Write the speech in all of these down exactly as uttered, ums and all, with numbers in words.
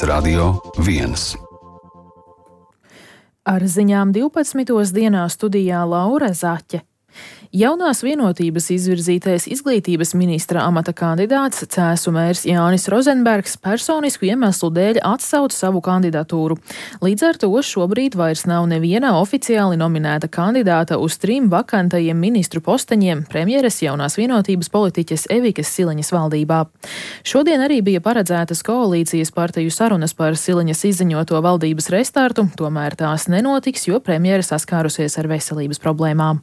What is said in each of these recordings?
Radio viens. Ar ziņām divpadsmitos dienā studijā Laura Zaķe. Jaunās vienotības izvirzītais izglītības ministra amata kandidāts Cēsu mērs Jānis Rozenbergs personisku iemeslu dēļ atsauca savu kandidatūru. Līdz ar to šobrīd vairs nav neviena oficiāli nominēta kandidāta uz trim vakantajiem ministru posteņiem premjeres jaunās vienotības politiķes Evikas Siliņas valdībā. Šodien arī bija paredzētas koalīcijas partiju sarunas par Siliņas izziņoto valdības restartu, tomēr tās nenotiks, jo premjere saskārusies ar veselības problēmām.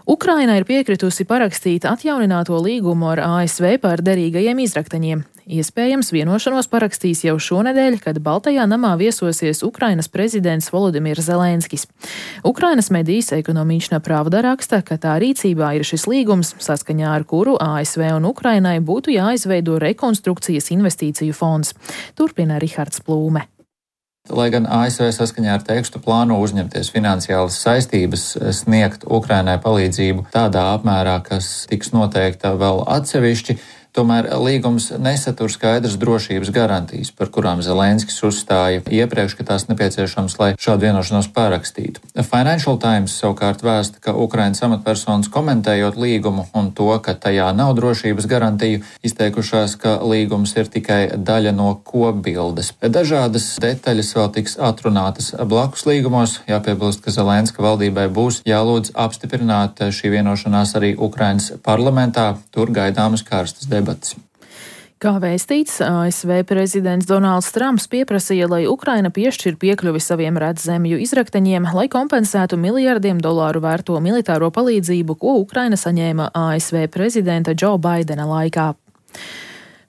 Ukraina ir piekritusi parakstīt atjaunināto līgumu ar A S V par derīgajiem izrakteņiem. Iespējams, vienošanos parakstīs jau šonedēļ, kad Baltajā namā viesosies Ukrainas prezidents Volodimirs Zelenskis. Ukrainas medijas Ekonomična Pravda raksta, ka tā rīcībā ir šis līgums, saskaņā ar kuru A S V un Ukrainai būtu jāizveido rekonstrukcijas investīciju fonds. Turpina Rihards Plūme. Lai gan A S V saskaņā ar tekstu plāno uzņemties finansiālas saistības sniegt Ukrainai palīdzību tādā apmērā, kas tiks noteikta vēl atsevišķi, tomēr līgums nesatur skaidras drošības garantijas, par kurām Zelenskis uzstāja iepriekš, ka tās nepieciešams, lai šādu vienošanos parakstītu. Financial Times savukārt vēsta, ka Ukrainas amatpersonas komentējot līgumu un to, ka tajā nav drošības garantiju, izteikušās, ka līgums ir tikai daļa no kopbildes. Dažādas detaļas vēl tiks atrunātas blakus līgumos. Jāpiebilst, ka Zelenska valdībai būs jālūdz apstiprināt šī vienošanās arī Ukrainas parlamentā. Tur gaidāmas karstas debates. Kā vēstīts, A S V prezidents Donalds Trumps pieprasīja, lai Ukraina piešķir piekļuvi saviem redzemju izrakteņiem, lai kompensētu miljardiem dolāru vērto militāro palīdzību, ko Ukraina saņēma A S V prezidenta Džo Baidena laikā.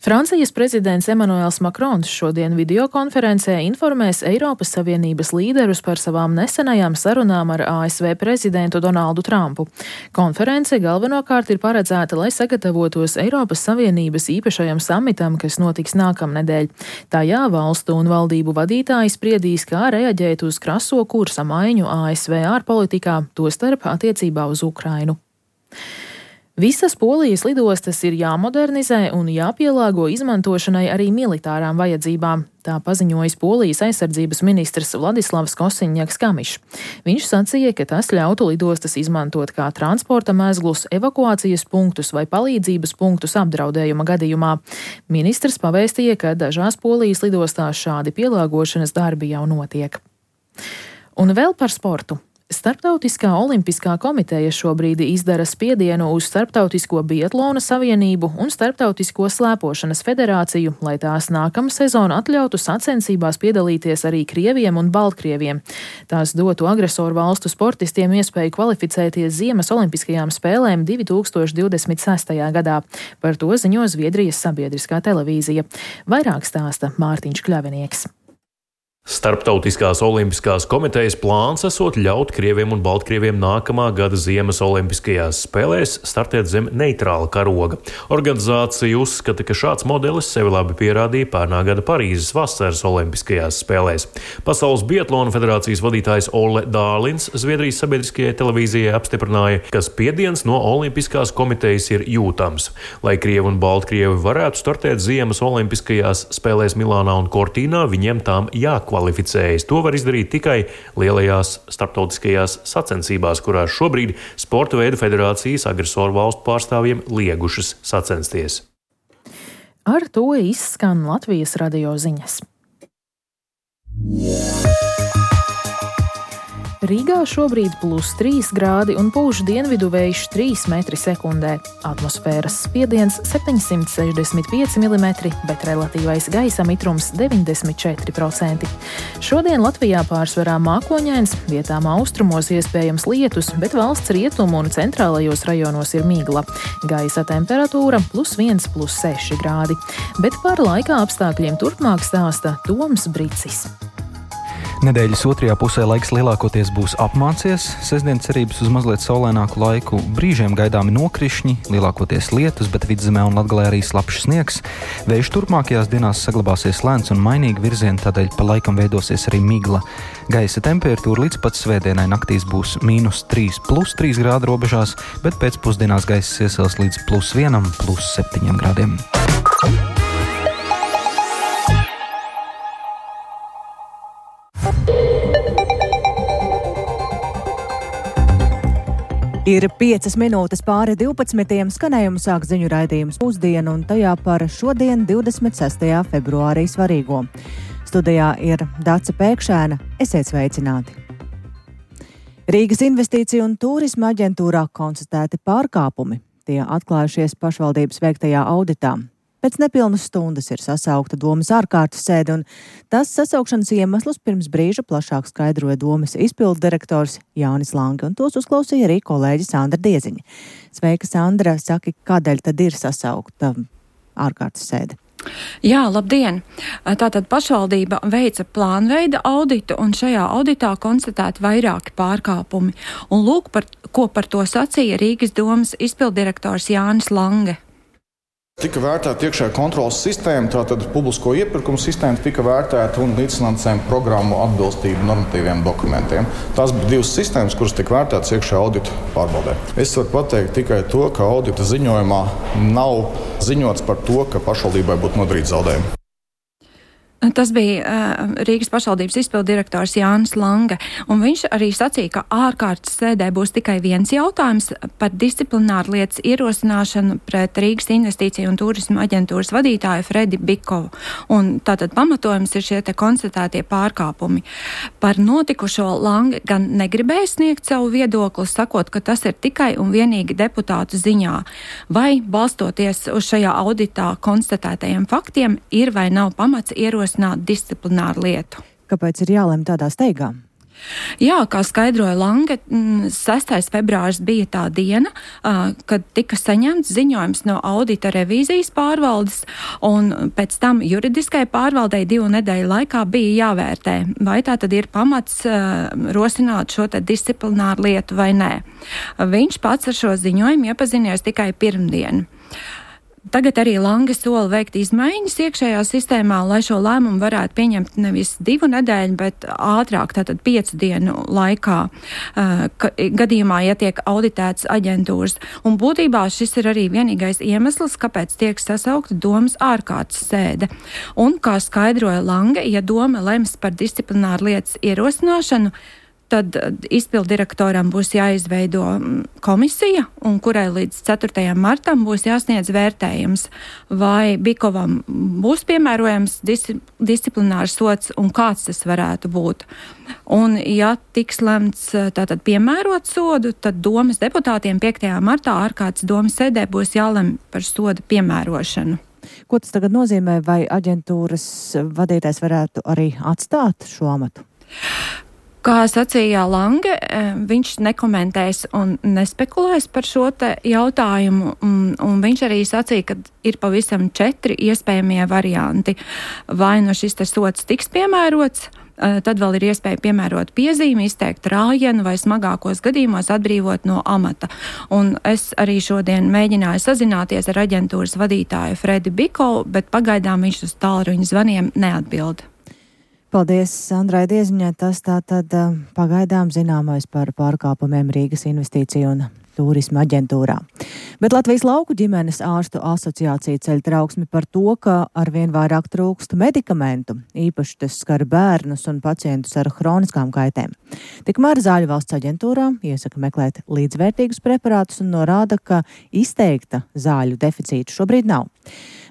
Francijas prezidents Emmanuels Macrons šodien videokonferencē informēs Eiropas Savienības līderus par savām nesenajām sarunām ar A S V prezidentu Donaldu Trumpu. Konference galvenokārt ir paredzēta, lai sagatavotos Eiropas Savienības īpašajam samitam, kas notiks nākamnedēļ. Tajā valstu un valdību vadītāji spriedīs, kā reaģēt uz kraso kursa maiņu A S V ārpolitikā, tostarp attiecībā uz Ukrainu. Visas Polijas lidostas ir jāmodernizē un jāpielāgo izmantošanai arī militārām vajadzībām. Tā paziņojis Polijas aizsardzības ministrs Vladislavs Kosiņņaks-Kamišs. Viņš sacīja, ka tas ļautu lidostas izmantot kā transporta mezglus, evakuācijas punktus vai palīdzības punktus apdraudējuma gadījumā. Ministrs pavēstīja, ka dažās Polijas lidostās šādi pielāgošanas darbi jau notiek. Un vēl par sportu. Starptautiskā olimpiskā komiteja šobrīd izdara spiedienu uz Starptautisko biatlona savienību un Starptautisko slēpošanas federāciju, lai tās nākamā sezona atļautu sacensībās piedalīties arī krieviem un baltkrieviem. Tās dotu agresoru valstu sportistiem iespēju kvalificēties Ziemas olimpiskajām spēlēm divi tūkstoši divdesmit sestajā gadā. Par to ziņo Zviedrijas sabiedriskā televīzija. Vairāk stāsta Mārtiņš Kļavinieks. Starptautiskās olimpiskās komitejas plāns esot ļaut krieviem un baltkrieviem nākamā gada Ziemas olimpiskajās spēlēs startēt zem neitrāla karoga. Organizācija uzskata, ka šāds modelis sevi labi pierādīja pērnā gada Parīzes vasaras olimpiskajās spēlēs. Pasaules biatlona federācijas vadītājs Olle Dālins Zviedrijas sabiedriskajai televīzijai apstiprināja, ka spiediens no olimpiskās komitejas ir jūtams. Lai krievi un baltkrievi varētu startēt Ziemas olimpiskajās spēlēs Milānā un Cortīnā, viņiem tām jākvalificējas. Kvalificējas. To var izdarīt tikai lielajās starptautiskajās sacensībās, kurās šobrīd sporta veidu federācijas agresoru valstu pārstāvjiem liegušas sacensties. Ar to izskan Latvijas radio ziņas. Rīgā šobrīd plus trīs grādi un pūš dienvidu vējš trīs metri sekundē. Atmosfēras spiediens septiņsimt sešdesmit pieci milimetri, bet relatīvais gaisa mitrums deviņdesmit četri procenti. Šodien Latvijā pārsvarā mākoņains, vietām austrumos iespējams lietus, bet valsts rietumu un centrālajos rajonos ir migla. Gaisa temperatūra plus viens, plus seši grādi. Bet par laika apstākļiem turpmāk stāsta Toms Bricis. Nedēļas otrajā pusē laiks lielākoties būs apmācies, sestdien cerības uz mazliet saulaināku laiku, brīžiem gaidāmi nokrišņi, lielākoties lietus, bet vidzemē un Latgalē arī slapjš sniegs. Vējš turpmākajās dienās saglabāsies lēns un mainīgi virzieni, tādēļ pa laikam veidosies arī migla. Gaisa temperatūra līdz pat svētdienai naktīs būs mīnus trīs, plus trīs grādu robežās, bet pēcpusdienās gaiss iesils līdz plus vienam, plus septiņiem grādiem. Ir piecas minūtes pāri divpadsmitiem, skanējumu sāk ziņu raidījums Pusdiena un tajā par šodien divdesmit sestajā februārī svarīgo. Studijā ir Dace Pēkšēna, esiet sveicināti. Rīgas investīciju un turisma aģentūrā konstatēti pārkāpumi. Tie atklājušies pašvaldības veiktajā auditā. Pēc nepilnas stundas ir sasaukta domas ārkārtas sēde, un tas sasaukšanas iemeslus pirms brīža plašāk skaidroja domas izpildu direktors Jānis Lange, un tos uzklausīja arī kolēģi Sandra Dieziņa. Sveika, Sandra, saki, kādēļ tad ir sasaukta ārkārtas sēde? Jā, labdien! Tātad pašvaldība veica plānveida auditu, un šajā auditā konstatēti vairāki pārkāpumi. Un lūk, par, ko par to sacīja Rīgas domas izpilddirektors Jānis Lange. Tika vērtēta iekšējā kontrolas sistēma, tātad publisko iepirkumu sistēma tika vērtēta un līdzfinansējuma programmu atbilstību normatīviem dokumentiem. Tās bija divas sistēmas, kuras tika vērtētas iekšējā audita pārbaudē. Es varu pateikt tikai to, ka audita ziņojumā nav ziņots par to, ka pašvaldībai būtu nodarīti zaudējumi. Tas bija uh, Rīgas pašvaldības izpilddirektors Jānis Lange, un viņš arī sacīja, ka ārkārtas sēdē būs tikai viens jautājums par disciplināru lietas ierosināšanu pret Rīgas investīciju un turisma aģentūras vadītāju Fredi Bikovu. Un tātad pamatojums ir šie te konstatētie pārkāpumi. Par notikušo Lange gan negribēja sniegt savu viedokli, sakot, ka tas ir tikai un vienīgi deputātu ziņā. Vai, balstoties uz šajā auditā konstatētajiem faktiem, ir vai nav pamats ierosināt disciplināru lietu. Kāpēc ir jālem tādā steigā? Jā, kā skaidroja Lange, sestais februāris bija tā diena, kad tika saņemts ziņojums no audita revīzijas pārvaldes, un pēc tam juridiskai pārvaldei divu nedēļu laikā bija jāvērtē, vai tā tad ir pamats rosināt šo te disciplināru lietu vai nē. Viņš pats ar šo ziņojumu iepazinies tikai pirmdien. Tagad arī Lange sola veikt izmaiņas iekšējā sistēmā, lai šo lēmumu varētu pieņemt nevis divu nedēļu, bet ātrāk, tātad piecu dienu laikā, ka, gadījumā, ja tiek auditēts aģentūras. Un būtībā šis ir arī vienīgais iemesls, kāpēc tiek sasaukta domas ārkārtas sēde. Un, kā skaidroja Lange, ja doma lems par disciplināru lietas ierosināšanu, tad izpilddirektoram būs jāizveido komisija, un kurai līdz ceturtajam martam būs jāsniedz vērtējums, vai Bikovam būs piemērojams dis- disciplinārs sods un kāds tas varētu būt. Un, ja tiks lemts tātad piemērot sodu, tad domas deputātiem piektajā martā ārkārtas domas sēdē būs jālem par soda piemērošanu. Ko tas tagad nozīmē, vai aģentūras vadītājs varētu arī atstāt šo amatu? Kā sacīja Lange, viņš nekomentēs un nespekulēs par šo te jautājumu, un, un viņš arī sacīja, ka ir pavisam četri iespējamie varianti. Vai no šis te sods tiks piemērots, tad vēl ir iespēja piemērot piezīmi, izteikt rājienu vai smagākos gadījumos atbrīvot no amata. Un es arī šodien mēģināju sazināties ar aģentūras vadītāju Fredi Bikovu, bet pagaidām viņš uz tālruņa zvaniem neatbild. Paldies Sandrai Dieziņai. Tas tātad pagaidām zināmais par pārkāpumiem Rīgas investīciju un turisma aģentūrā. Bet Latvijas lauku ģimenes ārstu asociācija ceļ trauksmi par to, ka arvien vairāk trūkst medikamentu. Īpaši tas skar bērnus un pacientus ar hroniskām kaitēm. Tikmēr Zāļu valsts aģentūrā iesaka meklēt līdzvērtīgus preparātus un norāda, ka izteikta zāļu deficīta šobrīd nav.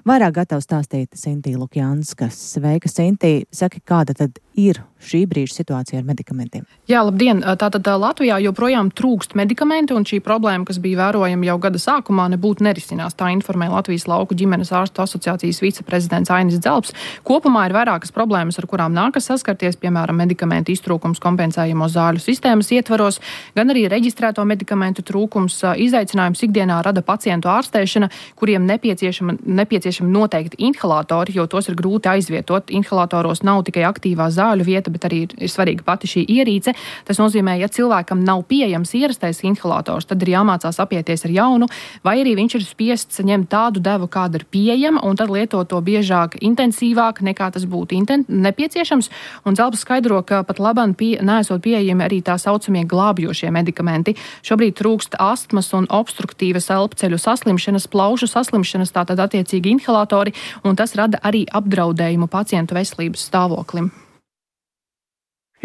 Vairāk gatava stāstīt Sintī Lukjanskas. Sveika, Sintī. Saki, kāda tad ir šī brīža situācija ar medikamentiem? Jā, labdien. Tātad Latvijā joprojām trūkst medikamenti, un šī problēma, kas bija vērojama jau gada sākumā, nebūtu nerisinās. Tā informēja Latvijas lauku ģimenes ārstu asociācijas viceprezidents Ainis Dzelps. Kopumā ir vairākas problēmas, ar kurām nākas saskarties, piemēram, medikamentu iztrūkums kompensējamo zāļu sistēmas ietvaros, gan arī reģistrēto medikamentu trūkums. Izaicinājums ikdienā rada pacientu ārstēšana, kuriem nepieciešama, nepieciešama noteikti inhalatori, jo tos ir grūti aizvietot. Inhalatoros nav tikai aktīvā zāļu vieta, bet arī ir svarīga pati šī ierīce. Tas nozīmē, ja cilvēkam nav pieejams ierastais inhalators, tad ir jāmācās apieties ar jaunu, vai arī viņš ir spiests ņemt tādu devu, kāda ir pieejama, un tad lietot to biežāk, intensīvāk, nekā tas būtu inten- nepieciešams. Un Dzelps skaidro, ka pat labam pie, neesot pieejami arī tā saucamie glābjošie medikamenti. Šobrīd trūkst astmas un obstruktīvas elpceļu saslimšanas, plaušu saslimšanas, tātad attiecīgi inhalatori, un tas rada arī apdraudējumu pacientu veselības stāvoklim.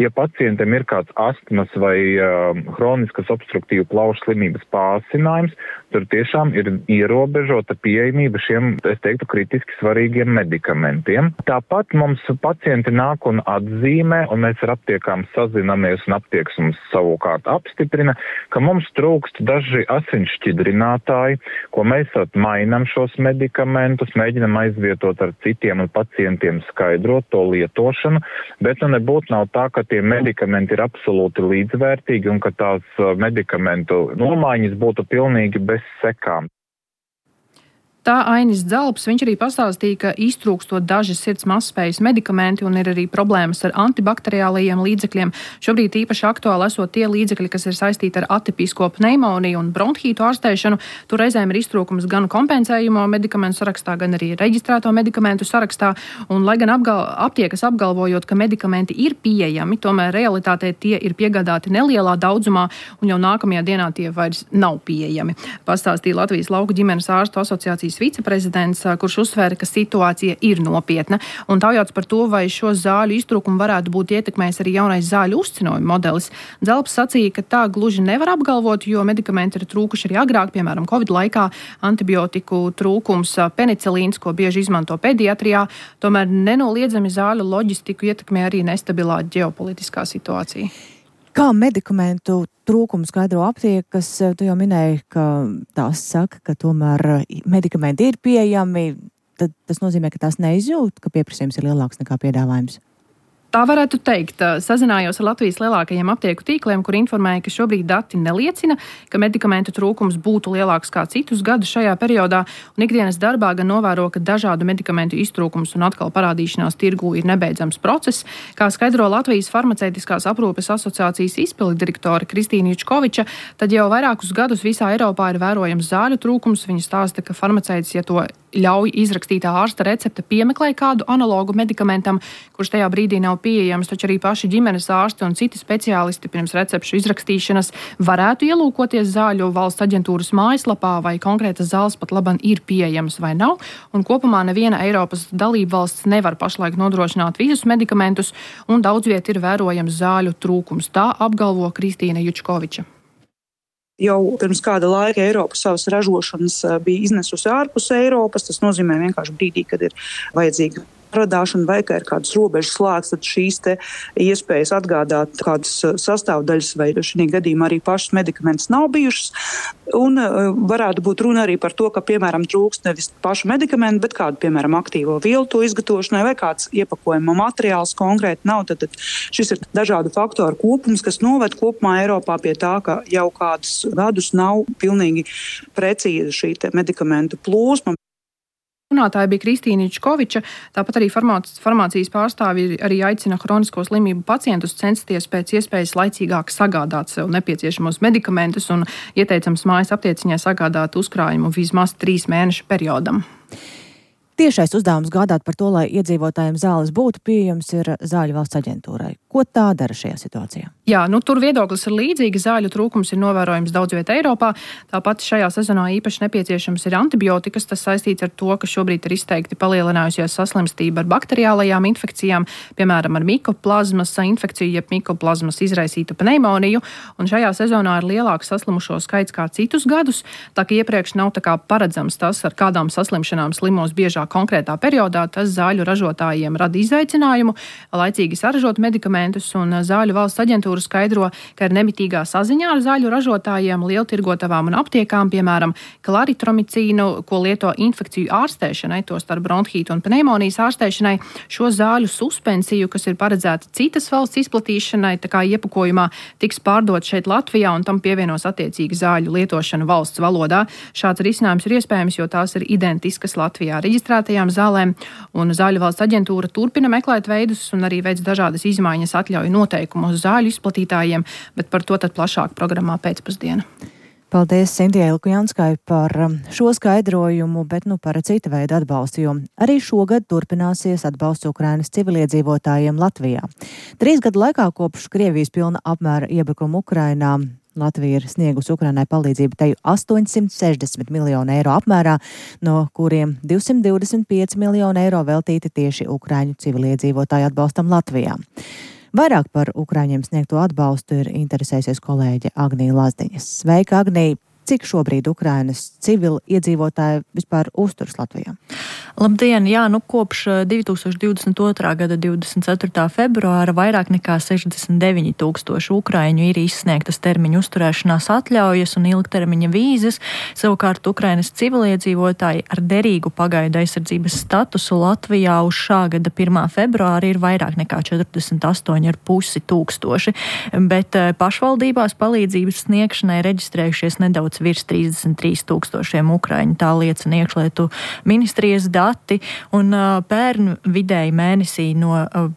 Ja pacientam ir kāds astmas vai uh, hroniskas obstruktīvu plaušu slimības pārsinājums, tur tiešām ir ierobežota pieejamība šiem, es teiktu, kritiski svarīgiem medikamentiem. Tāpat mums pacienti nāk un atzīmē, un mēs ar aptiekām sazinamies, un aptieks mums savukārt apstiprina, ka mums trūkst daži asinsšķidrinātāji, ko mēs mainām šos medikamentus, mēģinam aizvietot ar citiem un pacientiem skaidrot to lietošanu, bet nu nebūtu nav tā, ka tie medikamenti ir absolūti līdzvērtīgi un ka tās medikamentu nomaiņas būtu pilnīgi bez sekām. Tā Ainis Dzelps, viņš arī pastāstīja, ka iztrūkstot daži sirds mazspējas medikamenti un ir arī problēmas ar antibakteriālajiem līdzekļiem. Šobrīd īpaši aktuāli esot tie līdzekļi, kas ir saistīti ar atipisko pneimoniju un bronhītu ārstēšanu. Tur reizēm ir iztrūkums gan kompensējumo medikamentu sarakstā, gan arī reģistrēto medikamentu sarakstā. Un, lai gan apgal, aptiekas apgalvojot, ka medikamenti ir pieejami, tomēr realitātē tie ir piegādāti nelielā daudzumā un jau nākamajā dienā tie vairs nav pieejami. Pastāstīja Latvijas lauku ģimenes ārstu asociācijas viceprezidents, kurš uzsvēra, ka situācija ir nopietna. Un taujāts par to, vai šo zāļu iztrūkumu varētu būt ietekmējis arī jaunais zāļu uzcinojuma modelis. Dzelps sacīja, ka tā gluži nevar apgalvot, jo medikamenti ir trūkuši arī agrāk, piemēram, Covid laikā, antibiotiku trūkums, penicilīns, ko bieži izmanto pediatrijā. Tomēr nenoliedzami zāļu loģistiku ietekmē arī nestabilā ģeopolitiskā situācija. Kā medikamentu trūkumu skaidro aptiekas? Tu jau minēji, ka tās saka, ka tomēr medikamenti ir pieejami. Tad tas nozīmē, ka tās neizjūt, ka pieprasījums ir lielāks nekā piedāvājums. Tā varētu teikt. Sazinājos ar Latvijas lielākajiem aptieku tīkliem, kur informēja, ka šobrīd dati neliecina, ka medikamentu trūkums būtu lielāks kā citus gadus šajā periodā, un ikdienas darbā gan novēro, ka dažādu medikamentu iztrūkums un atkal parādīšanās tirgū ir nebeidzams process. Kā skaidro Latvijas farmaceitiskās aprūpes asociācijas izpilddirektore Kristīna Jučkoviča, tad jau vairākus gadus visā Eiropā ir vērojams zāļu trūkums. Viņa stāsta, ka farmaceits, ja to ļauj izrakstītā ārsta recepte, piemeklē kādu analogu medikamentam, kurš tajā brīdī nav pieejams, taču arī paši ģimenes ārsti un citi speciālisti pirms recepšu izrakstīšanas varētu ielūkoties zāļu valsts aģentūras mājaslapā, vai konkrētas zāles pat laban ir pieejamas vai nav, un kopumā neviena Eiropas dalība valsts nevar pašlaik nodrošināt visus medikamentus, un daudz viet ir vērojams zāļu trūkums. Tā apgalvo Kristīna Jučkoviča. Jau pirms kāda laika Eiropa savas ražošanas bija iznesusi ārpus Eiropas. Tas nozīmē vienkārši brīdī, kad ir vajadzīga radāšana vai ka ir kādas robežas slēgts, tad šīs te iespējas atgādāt kādas sastāvdaļas vai šī gadījumā arī pašas medikamentus nav bijušas. Un varētu būt runa arī par to, ka, piemēram, trūkst nevis pašu medikamentu, bet kādu, piemēram, aktīvo vielu to izgatavošanai vai kāds iepakojuma materiāls konkrēti nav. Tad, tad šis ir dažādu faktoru kopums, kas noved kopumā Eiropā pie tā, ka jau kādus gadus nav pilnīgi precīza šī te medikamentu plūsma. Runātāja bija Kristīna Jučkoviča, tāpat arī farmācijas pārstāvji arī aicina hronisko slimību pacientus censties pēc iespējas laicīgāk sagādāt sev nepieciešamos medikamentus un ieteicams mājas aptieciņai sagādāt uzkrājumu vismaz trīs mēnešu periodam. Tiešais uzdevums gādāt par to, lai iedzīvotājiem zāles būtu pieejams, ir Zāļu valsts aģentūrai. Ko tā dara šajā situācijā? Jā, nu tur viedoklis ir līdzīgi. Zāļu trūkums ir novērojams daudz vietā Eiropā. Tāpat šajā sezonā īpaši nepieciešams ir antibiotikas. Tas saistīts ar to, ka šobrīd ir izteikti palielinājusies saslimstība ar bakteriālajām infekcijām, piemēram, ar mikoplazmas infekciju, jeb mikoplazmas izraisītu pneimoniju. Un šajā sezonā ir lielāks saslimušo skaits kā citus gadus, tā ka iepriekš nav tā kā paredzams tas, ar kādām saslimšanām slimos biežāk konkrētā periodā. Tas zāļu ražotājiem rada izaicinājumu laicīgi saražot medikamentus, un Zāļu valsts aģentūra skaidro, ka ir nemitīgā saziņā ar zāļu ražotājiem, lieltirgotavām un aptiekām, piemēram, klaritromicīnu, ko lieto infekciju ārstēšanai, to starp bronhītu un pneimonijas ārstēšanai, šo zāļu suspensiju, kas ir paredzēta citas valsts izplatīšanai, tā kā iepakojumā tiks pārdot šeit Latvijā, un tam pievienos attiecīgi zāļu lietošanu valsts valodā. Šāds risinājums ir iespējams, jo tās ir identiskas Latvijā reģistrētajām zālēm, un Zāļu valsts aģentūra turpina meklēt veidus un arī veids dažādas izmaiņas atļauju noteikumus zāļu izplatītājiem, bet par to tad plašāk programmā pēcpusdiena. Paldies Sintijai Lukjanskai par šo skaidrojumu, bet nu par cita veida atbalstu, jo arī šogad turpināsies atbalsts Ukrainas civiliedzīvotājiem Latvijā. Trīs gadu laikā kopš Krievijas pilna apmēra iebrukuma Ukrainā Latvija ir sniegusi Ukrainai palīdzību teju astoņsimt sešdesmit miljonu eiro apmērā, no kuriem divsimt divdesmit pieci miljoni eiro veltīti tieši Ukraiņu civiliedzīvotāju atbalstam Latvijā. Vairāk par Ukraiņiem sniegto atbalstu ir interesējusies kolēģe Agnija Lazdiņa. Sveika, Agnija! Cik šobrīd Ukrainas civili iedzīvotāji vispār uzturas Latvijā? Labdien! Jā, nu kopš divi tūkstoši divdesmit otrā gada divdesmit ceturtā februāra vairāk nekā sešdesmit deviņi tūkstoši ukraiņu ir izsniegtas termiņu uzturēšanās atļaujas un ilgtermiņa vīzes. Savukārt Ukrainas civiliedzīvotāji ar derīgu pagaidu aizsardzības statusu Latvijā uz šā gada pirmā februāra ir vairāk nekā četrdesmit astoņi ar pusi tūkstoši, bet pašvaldībās palīdzības sniegšanai reģistrējušies nedaudz virs trīsdesmit trīs tūkstošiem ukraiņu, tā liecina iekšlietu ministrijas dati, un uh, pērn vidēji mēnesī no uh,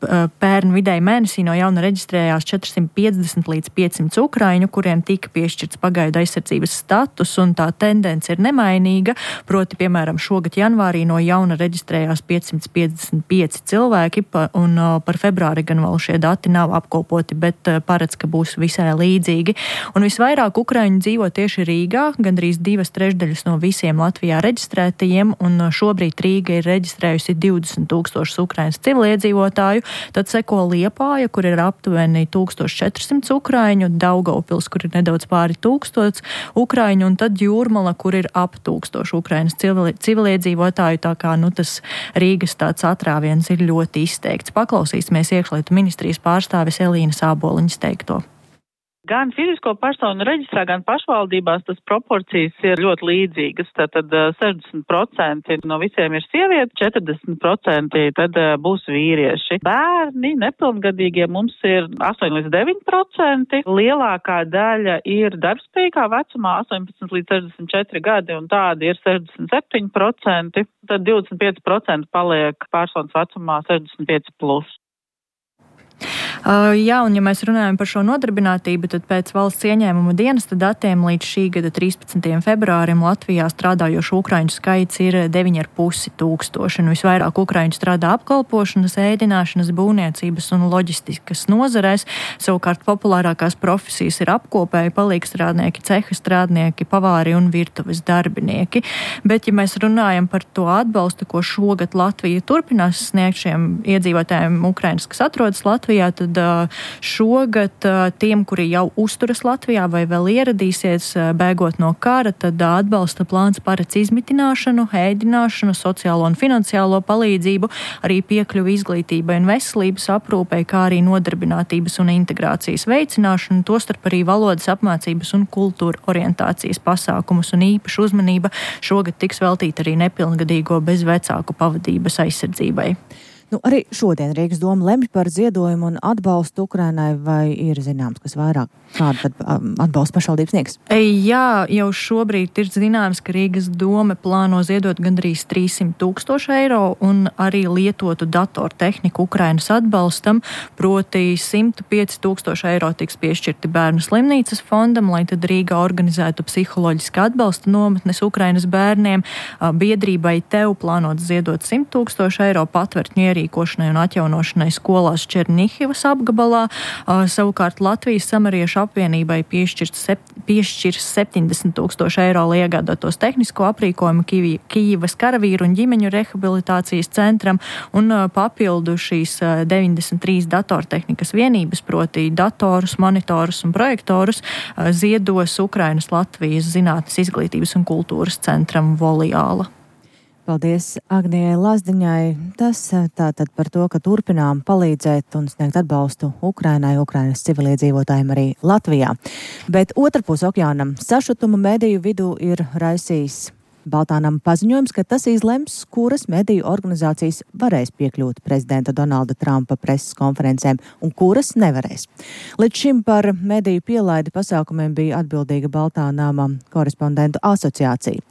Pērn vidēji mēnesī no jauna reģistrējās četrsimt piecdesmit līdz piecsimt ukraiņu, kuriem tika piešķirts pagaidu aizsardzības status, un tā tendence ir nemainīga. Proti, piemēram, šogad janvārī no jauna reģistrējās piecsimt piecdesmit pieci cilvēki, un par februāri gan vēl šie dati nav apkopoti, bet paredz, ka būs visai līdzīgi. Un visvairāk ukraiņu dzīvo tieši Rīgā, gandrīz divas trešdaļas no visiem Latvijā reģistrētajiem, un šobrīd Rīga ir reģistrējusi divdesmit tūkstošus Ukrainas civiliedzīvotāju. Tad seko Liepāja, kur ir aptuveni tūkstoš četrsimt ukraiņu, Daugavpils, kur ir nedaudz pāri tūkstots ukraiņu, un tad Jūrmala, kur ir ap tūkstošu Ukrainas civili, civiliedzīvotāju, tā kā nu, tas Rīgas tāds atrāviens ir ļoti izteikts. Paklausīsimies iekšlietu ministrijas pārstāvis Elīnas Āboliņas teikto. Gan fizisko personu reģistrā, gan pašvaldībās tas proporcijas ir ļoti līdzīgas. Tātad sešdesmit procenti no visiem ir sievietes, četrdesmit procenti tad būs vīrieši. Bērni nepilngadīgie mums ir astoņi līdz deviņi procenti. Lielākā daļa ir darbspējīgā vecumā astoņpadsmit līdz sešdesmit četri gadi, un tādi ir sešdesmit septiņi procenti. Tad divdesmit pieci procenti paliek personas vecumā sešdesmit pieci plus. Uh, jā, un ja mēs runājam par šo nodarbinātību, tad pēc valsts ieņēmuma dienesta datiem līdz šī gada trīspadsmitajam februārim Latvijā strādājošu ukraiņu skaits ir deviņi ar pusi tūkstoši. Un visvairāk ukraiņu strādā apkalpošanas, ēdināšanas, būvniecības un loģistikas nozarēs. Savukārt populārākās profesijas ir apkopēji, palīgstrādnieki, ceha strādnieki, pavāri un virtuves darbinieki. Bet, ja mēs runājam par to atbalstu, ko šogad Latvija turpinās sniegt šiem iedzīvotājiem Ukrainas, kas atrodas Latvijā, tad šogad tiem, kuri jau uzturas Latvijā vai vēl ieradīsies bēgot no kara, tad atbalsta plāns paredz izmitināšanu, ēdināšanu, sociālo un finansiālo palīdzību, arī piekļuvi izglītībai un veselības aprūpei, kā arī nodarbinātības un integrācijas veicināšanu, tostarp arī valodas apmācības un kultūra orientācijas pasākumus, un īpaša uzmanība šogad tiks veltīta arī nepilngadīgo bez vecāku pavadības aizsardzībai. Nu, arī šodien Rīgas doma lemj par ziedojumu un atbalstu Ukrainai, vai ir zināms, kas vairāk? Kādu tad atbalstu pašvaldības sniegs? Jā, jau šobrīd ir zināms, ka Rīgas doma plāno ziedot gandrīz trīssimt tūkstoši eiro un arī lietotu datortehniku Ukrainas atbalstam, proti simt pieci tūkstoši eiro tiks piešķirti bērnu slimnīcas fondam, lai tad Rīgā organizētu psiholoģiska atbalsta nometnes Ukrainas bērniem. Biedrībai Tev plānot ziedot simt tūkstoši eiro patvērtņu ierīkošanai un atjaunošanai skolās Černihivas apgabalā. Savukārt Latvijas samariešu apvienībai piešķirs septiņdesmit tūkstoši eiro, lai iegādātos tehnisko aprīkojumu Kijivas karavīru un ģimeņu rehabilitācijas centram, un papildu šīs deviņdesmit trīs datortehnikas vienības, proti datorus, monitorus un projektorus, ziedos Ukrainas Latvijas zinātnes, izglītības un kultūras centram Voliāla. Paldies Agnijai Lazdiņai. Tas tātad par to, ka turpinām palīdzēt un sniegt atbalstu Ukrainai, Ukrainas civiliedzīvotājiem arī Latvijā. Bet otrpus okeānam sašutuma mediju vidū ir raisījis Baltānam paziņojums, ka tas izlems, kuras mediju organizācijas varēs piekļūt prezidenta Donalda Trumpa preses konferencēm un kuras nevarēs. Līdz šim par mediju pielaidi pasākumiem bija atbildīga Baltānama korespondentu asociācija.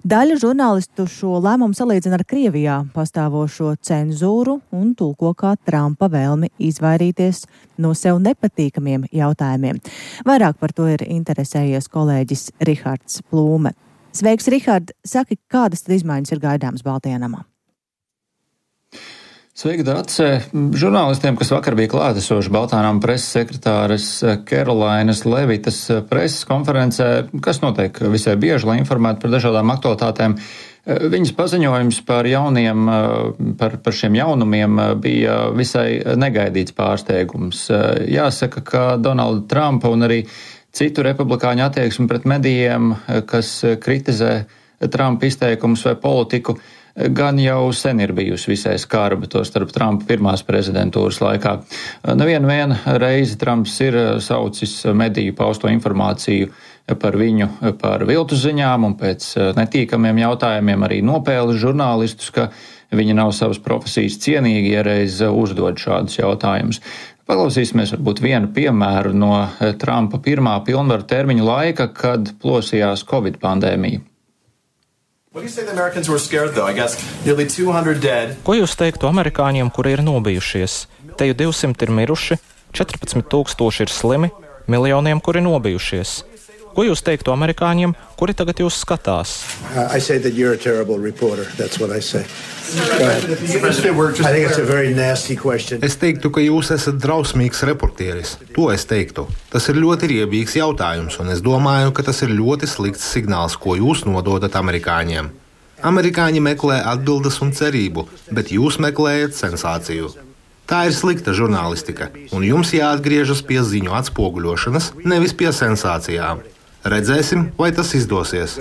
Daļa žurnālistu šo lēmumu salīdzina ar Krievijā pastāvošo cenzūru un tulko kā Trumpa vēlmi izvairīties no sev nepatīkamiem jautājumiem. Vairāk par to ir interesējies kolēģis Rihards Plūme. Sveiks, Rihard! Saki, kādas tad izmaiņas ir gaidāmas Baltajā namā? Sveiki, Dace! Žurnālistiem, kas vakar bija klātesoši Baltānama preses sekretāres Kerolainas Levitas preses konferencē, kas notiek visai bieži, lai informētu par dažādām aktualitātēm, Viņas paziņojums par jauniem, par, par šiem jaunumiem bija visai negaidīts pārsteigums. Jāsaka, ka Donalda Trumpa un arī citu republikāņu attieksmi pret medijiem, kas kritizē Trumpa izteikumus vai politiku, gan jau sen ir bijusi visai skarba, to starp Trumpa pirmās prezidentūras laikā. Nevienu vienu reizi Trumps ir saucis mediju pausto informāciju par viņu, par viltus ziņām un pēc netīkamiem jautājumiem arī nopēlis žurnālistus, ka viņi nav savas profesijas cienīgi, ja reiz uzdod šādus jautājumus. Paklausīsimies varbūt vienu piemēru no Trumpa pirmā pilnvaru termiņu laika, kad plosījās Covid pandēmija. Ko jūs teiktu amerikāņiem, kuri ir nobijušies? Te jau divsimt ir miruši, četrpadsmit tūkstoši ir slimi, miljoniem, kuri nobijušies. Ko jūs teiktu amerikāņiem, kuri tagad jūs skatās? Uh, es teiktu, ka jūs esat drausmīgs reportieris. To es teiktu. Tas ir ļoti riebīgs jautājums, un es domāju, ka tas ir ļoti slikts signāls, ko jūs nododat amerikāņiem. Amerikāņi meklē atbildes un cerību, bet jūs meklējat sensāciju. Tā ir slikta žurnālistika, un jums jāatgriežas pie ziņu atspoguļošanas, nevis pie sensācijām. Redzēsim, vai tas izdosies.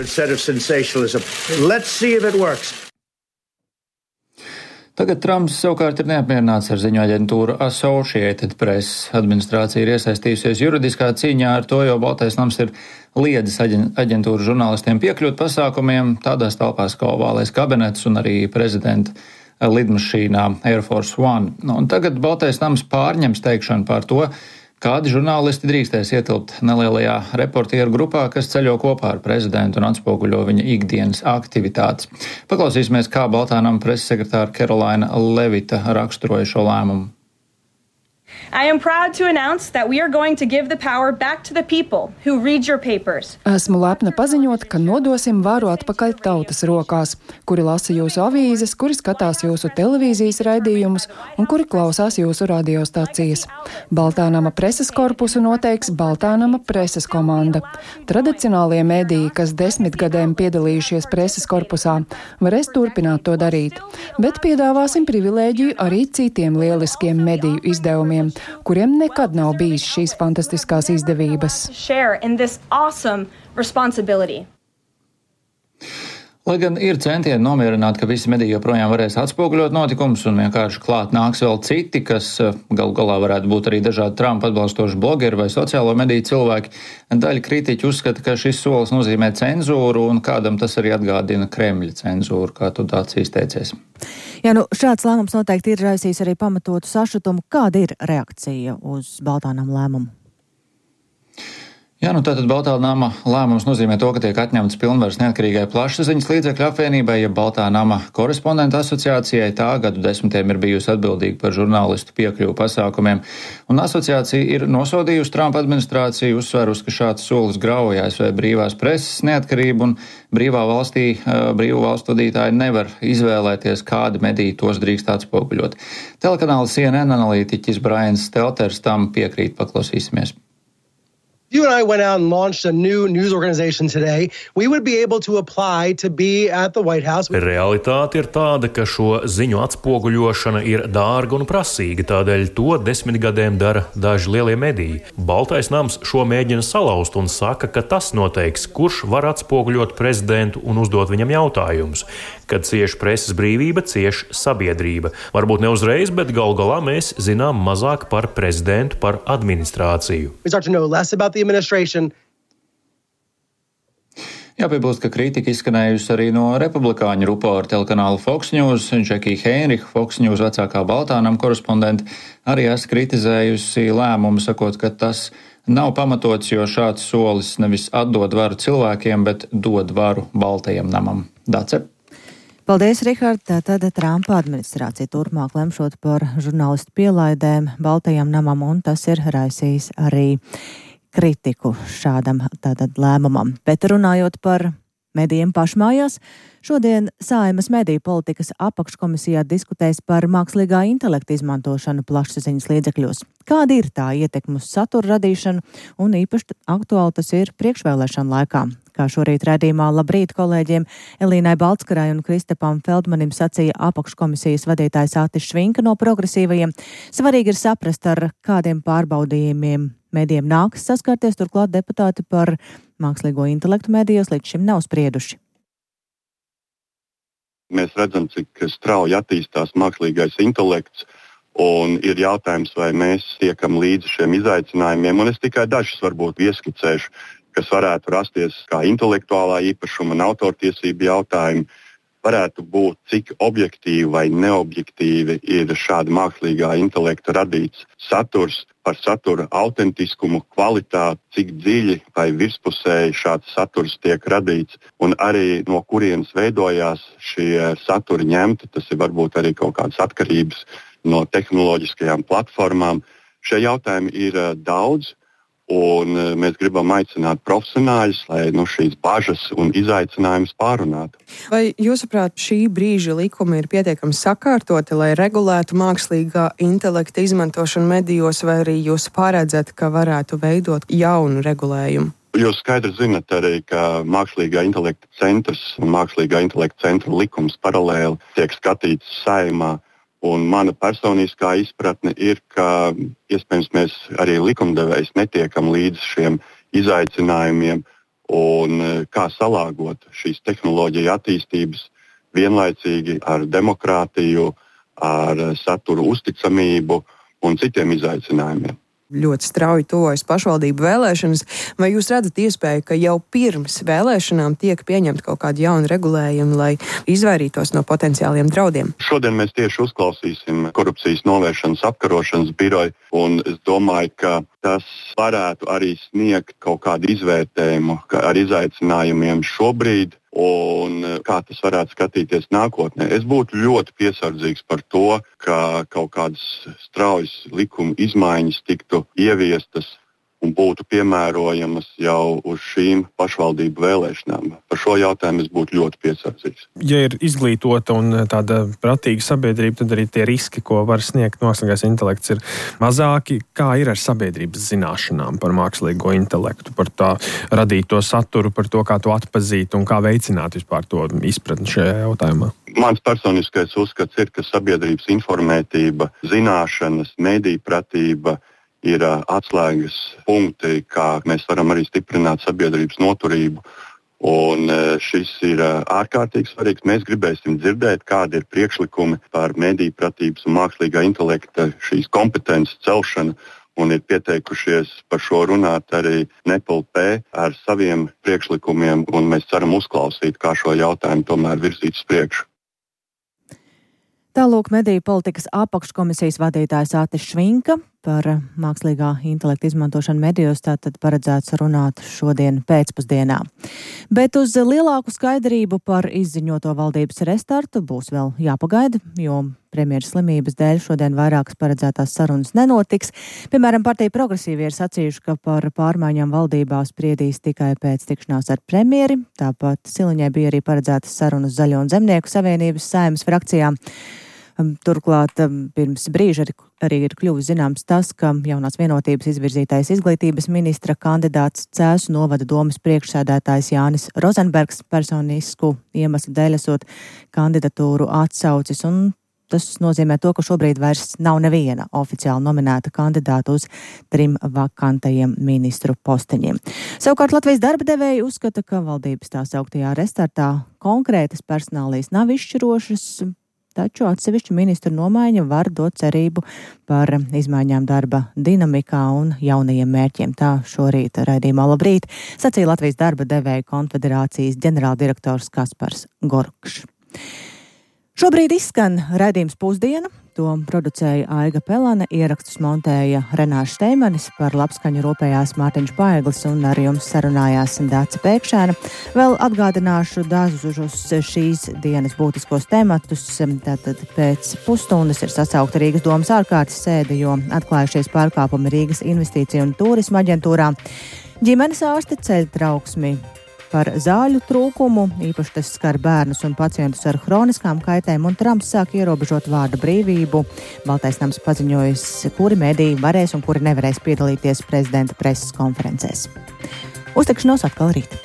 Tagad Trumps savukārt ir neapmierināts ar ziņu aģentūru Associated Press. Administrācija ir iesaistījusies juridiskā cīņā ar to, jo Baltais nams ir liedzis aģentūru žurnālistiem piekļūt pasākumiem tādās telpās kā Ovālais kabinets un arī prezidenta lidmašīnā Air Force One. Un tagad Baltais nams pārņems teikšanu par to, kādi žurnālisti drīkstēs ietilpt nelielajā reportieru grupā, kas ceļo kopā ar prezidentu un atspoguļo viņa ikdienas aktivitātes. Paklausīsimies, kā Baltā nama preses sekretāra Kerolaina Levita raksturoja šo lēmumu. I am proud to announce that we are going to give the power back to the people who read your papers. Esmu lepna paziņot, ka nodosim varu atpakaļ tautas rokās, kuri lasa jūsu avīzes, kuri skatās jūsu televīzijas raidījumus un kuri klausās jūsu radiostacijas. Baltā nama preses korpusu noteiks Baltā nama preses komanda. Tradicionālie mediji, kas desmit gadiem piedalījušies preses korpusā, varēs turpināt to darīt, bet piedāvāsim privilēģiju arī citiem lieliskiem mediju izdevumiem, kuriem nekad nav bijis šīs fantastiskās izdevības. Lai gan ir centieni nomierināt, ka visi mediji joprojām varēs atspoguļot notikumus un vienkārši klāt nāks vēl citi, kas galu galā varētu būt arī dažādi Trumpa atbalstoši blogeri vai sociālo mediju cilvēki, daļa kritiķi uzskata, ka šis solis nozīmē cenzūru un kādam tas arī atgādina Kremļa cenzūru, kā tu tāds izteicies. Jā, nu šāds lēmums noteikti ir raisījis arī pamatotu sašutumu. Kāda ir reakcija uz Baltā nama lēmumu? Jā, nu tātad Baltā nama lēmums nozīmē to, ka tiek atņemts pilnvaras neatkarīgai plašsaziņas līdzekļu apvienībai, ja Baltā nama korespondentu asociācijai. Tā gadu desmitiem ir bijusi atbildīga par žurnālistu piekļuvu pasākumiem, un asociācija ir nosodījusi Trumpa administrāciju, uzsverusi, ka šāds solis grauj A S V brīvās preses neatkarību, un brīvā valstī, brīvu valstu vadītāji nevar izvēlēties, kādi mediji tos drīkst atspoguļot. Telekanāla C N N analītiķis Brians Stelters tam piekrīt, paklausīsimies. You and I went out and launched a new news organization today. We would be able to apply to be at the White House. Realitāte ir tāda, ka šo ziņu atspoguļošana ir dārga un prasīga, tādēļ to desmit gadiem dara daži lielie mediji. Baltais nams šo mēģina salauzt un saka, ka tas noteiks, kurš var atspoguļot prezidentu un uzdot viņam jautājumus. Kad cieš preses brīvība, cieš sabiedrība. Varbūt ne uzreiz, bet gal galā mēs zinām mazāk par prezidentu, par administrāciju. Jāpiebilst, ka kritika izskanējusi arī no republikāņu ruporu telekanāla Fox News. Džekija Heinricha, Fox News vecākā Baltā nama korespondente, arī esmu kritizējusi lēmumu, sakot, ka tas nav pamatots, jo šāds solis nevis atdod varu cilvēkiem, bet dod varu Baltajam namam. Dace? Paldies, Rihard. Tātad Trumpa administrācija turpmāk lemšot par žurnālistu pielaidēm Baltajam namam, un tas ir raisījis arī kritiku šādam tātad lēmumam. Bet runājot par medijiem pašmājās, šodien Saeimas mediju politikas apakškomisijā diskutēs par mākslīgā intelekta izmantošanu plašsaziņas līdzekļos. Kāda ir tā ietekme uz satura radīšanu, un īpaši aktuāli tas ir priekšvēlēšanu laikā? Kā šorīt raidījumā Labrīt kolēģiem Elīnai Baltskarai un Kristapam Feldmanim sacīja apakškomisijas vadītājs Atis Švinka no Progresīvajiem, svarīgi ir saprast, ar kādiem pārbaudījumiem medijiem nākas saskarties, turklāt deputāti par mākslīgo intelektu medijos līdz šim nav sprieduši. Mēs redzam, cik strauji attīstās mākslīgais intelekts, un ir jautājums, vai mēs tiekam līdzi šiem izaicinājumiem, un es tikai dažus varbūt ieskicēšu, kas varētu rasties kā intelektuālā īpašuma un autortiesību jautājumi, varētu būt, cik objektīvi vai neobjektīvi ir šāda mākslīgā intelekta radīts saturs, par satura autentiskumu, kvalitāti, cik dziļi vai virspusēji šāds saturs tiek radīts, un arī no kurienes veidojās šie saturi ņemti, tas ir varbūt arī kaut kādas atkarības no tehnoloģiskajām platformām. Šie jautājumi ir daudz, un mēs gribam aicināt profesionāļus, lai nu, šīs bažas un izaicinājumus pārunātu. Vai jūsuprāt, šī brīža likumi ir pietiekami sakārtoti, lai regulētu mākslīgā intelekta izmantošanu medijos, vai arī jūs paredzat, ka varētu veidot jaunu regulējumu? Jūs skaidri zinat arī, ka mākslīgā intelekta centrs un mākslīgā intelekta centra likums paralēli tiek skatīts Saeimā. Un mana personiskā izpratne ir, ka iespējams mēs arī likumdevējs netiekam līdz šiem izaicinājumiem un kā salāgot šīs tehnoloģiju attīstības vienlaicīgi ar demokrātiju, ar saturu uzticamību un citiem izaicinājumiem. Ļoti strauji tuvojas pašvaldību vēlēšanas. Vai jūs redzat iespēju, ka jau pirms vēlēšanām tiek pieņemta kaut kāda jauna regulējuma, lai izvairītos no potenciāliem draudiem? Šodien mēs tieši uzklausīsim korupcijas novēršanas apkarošanas biroju, un es domāju, ka tas varētu arī sniegt kaut kādu izvērtējumu ar izaicinājumiem šobrīd, un kā tas varētu skatīties nākotnē. Es būtu ļoti piesardzīgs par to, ka kaut kādas straujas likuma izmaiņas tiktu ieviestas un būtu piemērojamas jau uz šīm pašvaldību vēlēšanām. Par šo jautājumu es būtu ļoti piesardzīgs. Ja ir izglītota un tāda pratīga sabiedrība, tad arī tie riski, ko var sniegt mākslīgais intelekts, ir mazāki. Kā ir ar sabiedrības zināšanām par mākslīgo intelektu, par tā radīto saturu, par to, kā to atpazīt un kā veicināt vispār to izpratni šajā jautājumā? Mans personiskais uzskats ir, ka sabiedrības informētība, zināšanas, mediju pratība ir atslēgas punkti, kā mēs varam arī stiprināt sabiedrības noturību. Un šis ir ārkārtīgi svarīgs. Mēs gribēsim dzirdēt, kādi ir priekšlikumi par mediju pratības un mākslīgā intelekta šīs kompetences celšanu. Un ir pieteikušies par šo runāt arī N E P L P ar saviem priekšlikumiem, un mēs ceram uzklausīt, kā šo jautājumu tomēr virzīt uz priekšu. Tālūk mediju politikas apakškomisijas vadītājs Atis Švinka par mākslīgā intelekta izmantošanu medijos tātad paredzēts runāt šodien pēcpusdienā. Bet uz lielāku skaidrību par izziņoto valdības restartu būs vēl jāpagaida, jo premjeras slimības dēļ šodien vairākas paredzētās sarunas nenotiks. Piemēram, partija Progresīvie ir sacījuši, ka par pārmaiņām valdībā spriedīs tikai pēc tikšanās ar premjeri. Tāpat Siliņai bija arī paredzētas sarunas Zaļo un Zemnieku savienības Saeimas frakcijām. Turklāt pirms brīža arī, arī ir kļuvis zināms tas, ka jaunās vienotības izvirzītais izglītības ministra kandidāts Cēsu novada domas priekšsēdētājs Jānis Rozenbergs personisku iemeslu dēļ esot kandidatūru atsaucis, un tas nozīmē to, ka šobrīd vairs nav neviena oficiāli nominēta kandidāta uz trim vakantajiem ministru posteņiem. Savukārt Latvijas darba devēji uzskata, ka valdības tā sauktajā restartā konkrētas personālijas nav izšķirošas, taču atsevišķu ministru nomaiņa var dot cerību par izmaiņām darba dinamikā un jaunajiem mērķiem. Tā šorīt raidījumā Labrīt sacīja Latvijas darba devēju konfederācijas ģenerāldirektors Kaspars Gorkšs. Šobrīd izskan raidījums Pusdiena. To producēja Aiga Pelane, ierakstus montēja Renārs Šteimanis, par labskaņu rūpējās Mārtiņš Paeglis un ar jums sarunājās Dāca Pēkšēna. Vēl atgādināšu dažus šīs dienas būtiskos tematus. Tātad pēc pusstundas ir sasaukta Rīgas domas ārkārtas sēde, jo atklājušies pārkāpumi Rīgas investīciju un turisma aģentūrā. Ģimenes ārste ceļ trauksmi par zāļu trūkumu, īpaši tas skar bērnus un pacientus ar hroniskām kaitēm, un Trumps sāk ierobežot vārda brīvību. Baltais nams paziņojis, kuri mediji varēs un kuri nevarēs piedalīties prezidenta preses konferencēs. Uztikšanos atkal rīt.